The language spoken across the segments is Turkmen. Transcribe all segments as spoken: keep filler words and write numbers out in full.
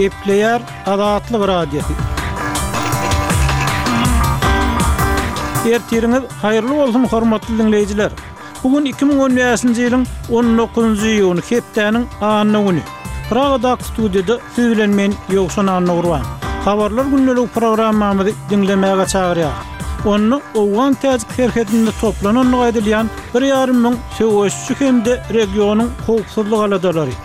Gepleýär Azatlyk Radiosy. Ertiriňiz haýyrly bolsun, hormatly diňleýjiler. Bu gün iki müň on bäşinji ýylyň on dokuzynjy iýuny, hepdäniň anna güni. Pragadaky studiýada siz bilen men Ýowşan Annagurban. Habarlar gündelik programmamyzy diňlemäge çagyrýar. Onda Owgan täjik serhedinde toplanandygy aýdylýan bir ýarym müň söweşçi hem-de regionyň howpsuzlyk aladalary.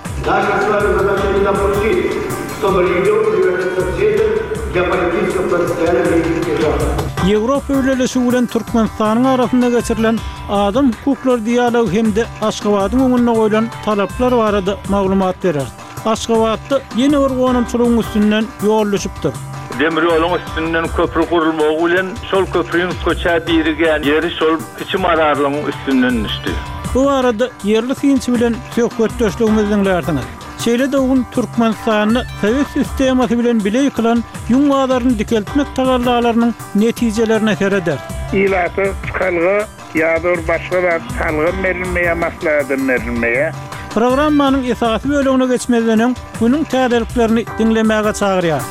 Ýewropa Bileleşigi bilen Türkmenistanyň arasynda geçirilen adam hukuklary dialogy hem-de Aşgabadyň öňünde goýlan talaplar barada maglumat berer. Aşgabatda ýene bir gonamçylygyň üstünden ýol düşüpdir. Demir ýoluň üstünden köprü gurulmagy bilen şol köprüniň köçä birigýän ýeri şol kiçi mazarlygyň üstünden düşdi. Bu barada ýerli synçy bilen söhbetdeşligimizi diňlärsiňiz. Şeýle-de bugün Türkmenistanda sowet sistemasy bilen bile ýykylan ýüň bazaryny dikeltmek tagallalarynyň netijelerine sereder. Ilata çykalga ýa-da başga zat salgym berilmeýär, maslahatym berilmeýär. Programmanyň esasy bölegine geçmezden öň günüň täzeliklerini diňlemäge çagyrýar.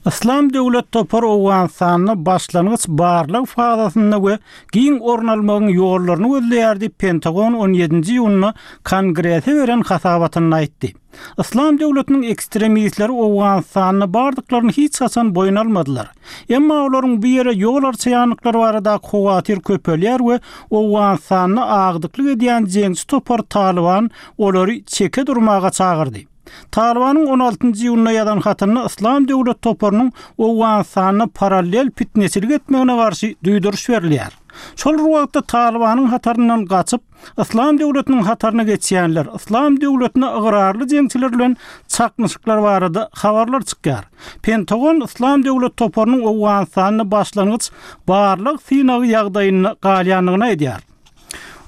Islam döwlet topary Owganystanda başlangyç barlyk fazasynda we giň orun almagyň ýollaryny gözleýär diýip Pentagon on ýedinji iýunda Kongrese beren hasabatynda aýtdy. Islam döwletiniň ekstremistleri Owganystanda bardyklaryny hiç haçan boýun almadylar. Emma olaryň bu ýere ýol arçaýanlyklary baradaky howatyr köpelýär we Owganystanda agdyklyk edýän jeňçi topar Taliban olary çeke durmaga çagyrdy. Talibanyň on altynjy iýunda ýazan hatynda Islam döwlet toparynyň Owganystanda parallel fitneçilik etmegine garşy duýduryş berilýär. Şol bir wagtda Talibanyň hataryndan gaçyp, Islam döwletiniň hataryna geçýänler, Islam döwletine ygrarly jeňçiler bilen çaknyşyklar barada habarlar çykýar. Pentagon Islam döwlet toparynyň Owganystanda başlangyç barlyk synagy ýagdaýynda galýandygyny aýdýar.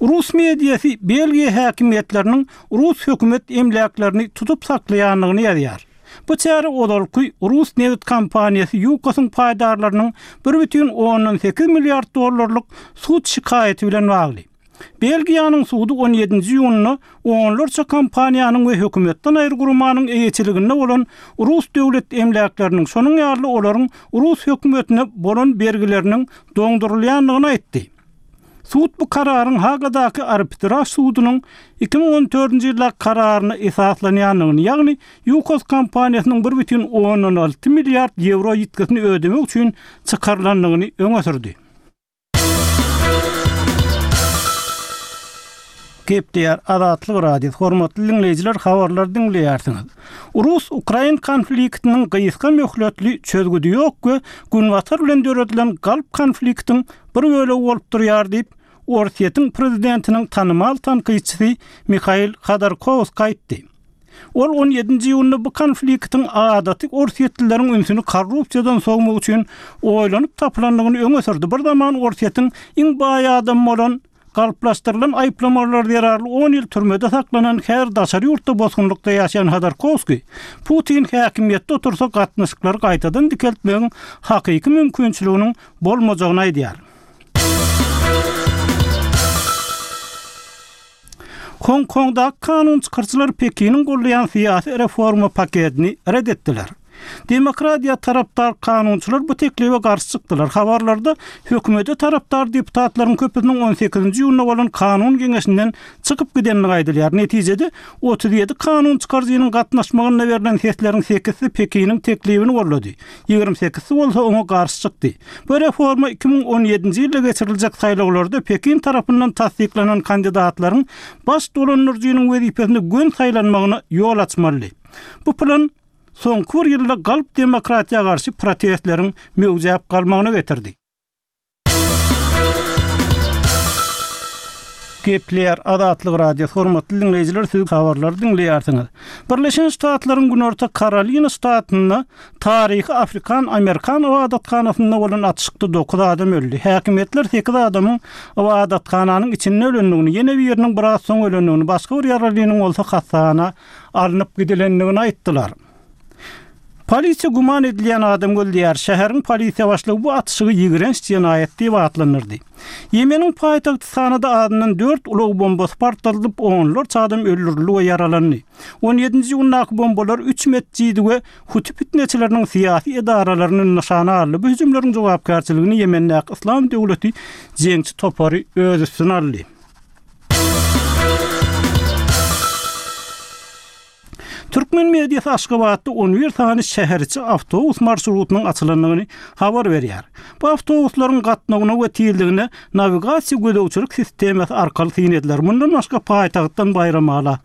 Rus mediasy Belgiýa häkimiýetleriniň Rus hökümet emläklerini tutup saklaýandygyny ýazýar. Bu çäre ozalky Rus nebit kompaniýasy Ýukosyň paýdarlarynyň bir bütin ondan sekiz milliard dollarlyk sud şikaýaty bilen bagly. Belgiýanyň sudy on ýedinji iýunda onlarça kompaniýanyň we hökümetden aýry guramanyň eýeçiliginde bolan Rus döwlet emläkleriniň, şonuň ýaly olaryň Rus hökümetine bolan bergileriniň doňdurylýandygyny aýtdy. Sud bu kararyň Hagadaky arbitraj sudunyň iki müň on dördünji ýylda kararyna esaslanýandygyny, ýagny Ýukos kompaniýasynyň bir bütin ondan alty milliard ýewro ýitgisini ödemek üçin çykarylandygyny öňe sürdi. Gepleýär Azatlyk Radiosy. Hormatly diňleýjiler, habarlar diňleýärsiňiz. Rus-Ukrain konfliktiniň gysga möhletli çözgüdi ýok we Günbatar bilen döredilen galp konfliktiň bir bölegi bolup durýar diýip, Orsýetiň prezidentiniň tanymal tankytçysy Mihail Hodorkowskiý aýtdy. Ol on ýedinji iýunda bu konfliktiň adaty orsýetlileriň ünsüni korrupsiýadan sowmak üçin oýlanyp tapylandygyny öňe sürdi. Bir zaman Orsýetiň iň baý adamy bolan galplaşdyrylan aýyplamalar zerarly on ýyl türmede saklanan her daşary ýurtda bosgunlykda ýaşaýan Hodorkowskiý Putin häkimiýetde otursa gatnaşyklary gaýtadan dikeltmegiň hakyky mümkinçiliginiň bolmajagyny aýdýar. Hong Kongdaky kanun çykaryjylar Pekiniň goldaýan syýasy reforma paketini red etdiler. Demokratiýa tarapdar kanunçylar bu teklibe garşy çykdylar. Habarlarda hökümete tarapdar deputatlaryň köpüsiniň on sekizinji iýunda bolan kanun geňeşinden çykyp gidenligi aýdylýar. Netijede otuz ýedi kanun çykaryjynyň gatnaşmagynda berlen sesleriň sekizisi Pekiniň teklibini goldady. Ýigrimi sekizisi bolsa oňa garşy çykdy. Bu reforma iki müň on ýedinji ýylda geçiriljek saýlawlarda Pekin tarapyndan tassyklanan kandidatlaryň baş dolandyryjynyň wezipesine gün saýlanmagyna ýol açmaly. Bu plan soňky bir ýylda galp demokratiýa garşy protestleriň möwjäp galmagyna getirdi. Gepleýär Azatlyk Radiosy. Hormatly diňleýjiler, siz habarlary diňleýärsiňiz. Birleşen Ştatlaryň Günorta Karolina ştatynda taryhy Afrikan-Amerikan ybadathanasynda bolan atyşykda dokuz adam öldi. Häkimiýetler sekiz adamyň ybadathananyň içinde ölendigini, ýene biriniň biraz soň ölendigini, başga bir ýaralynyň bolsa hassahana alnyp gidilendigini aýtdylar. Polisiýa güman edilýän adamy gözleýär. Şäheriň polisiýa başlygy bu atyşygy ýigrenç jenaýat diýip atlandyrdy. Ýemeniň paýtagty Sanada azyndan dört ulag bombasy partladylyp, onlarça adam öldürildi we ýaralandy. On ýedinji iýundaky bombalar üç metjidi we huti pitneçileriniň syýasy edaralaryny nyşana aldy. Bu hüjümleriň jogapkärçiligini Ýemendäki Yslam döwleti jeňçi topary öz üstüne aldy. Türkmen mediasy Aşgabatda on bir sany şäheriçi awtobus marşrutynyň açylandygyny habar berýär. Bu awtobuslaryň gatnawyna we tizligine nawigasiýa gözegçilik sistemasy arkaly syn ediler. Mundan başga paýtagtdan Baýramala,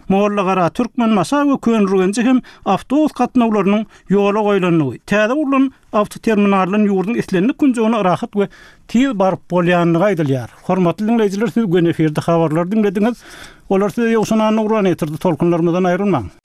Mollagara, Türkmenbaşa we Köneürgenje hem awtobus gatnawlarynyň ýola goýlandygy, täze gurlan awtoterminaldan ýurduň islendik künjegine rahat we tiz baryp bolýandygy aýdylýar. Hormatly diňleýjiler, siz göni efirde habarlary diňlediňiz. Olar size Ýowşan Annagurban ýetirdi. Tolkunlarymyzdan aýrylmaň.